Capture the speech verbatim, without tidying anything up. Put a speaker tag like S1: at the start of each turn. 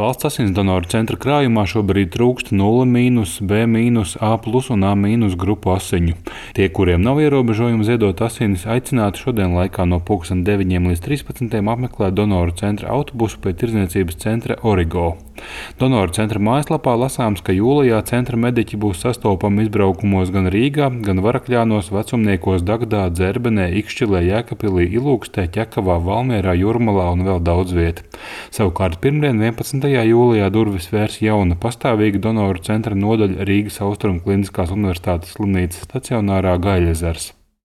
S1: Valsts asins donoru centra krājumā šobrīd trūkst nulle mīnus, B mīnus, A plus un A mīnus grupu asiņu. Tie, kuriem nav ierobežojumi ziedot asinis, aicināti šodien laikā no pulksten deviņiem līdz trīspadsmitiem apmeklēt donoru centra autobusu pie tirdzniecības centra Origo. Donoru centra mājaslapā lasāms, ka jūlijā centra mediķi būs sastopami izbraukumos gan Rīgā, gan Varakļānos, Vecumniekos, Dagdā, Dzerbenē, Ikšķilē, Jēkabpilī, Ilūkstē, Ķekavā, Valmierā, Jūrmalā un vēl daudz viet. Savukārt pirmdien vienpadsmitajā jūlijā durvis vērs jauna pastāvīga donoru centra nodaļa Rīgas Austrumu Kliniskās universitātes slimnīcas stacionārā Gaļezers.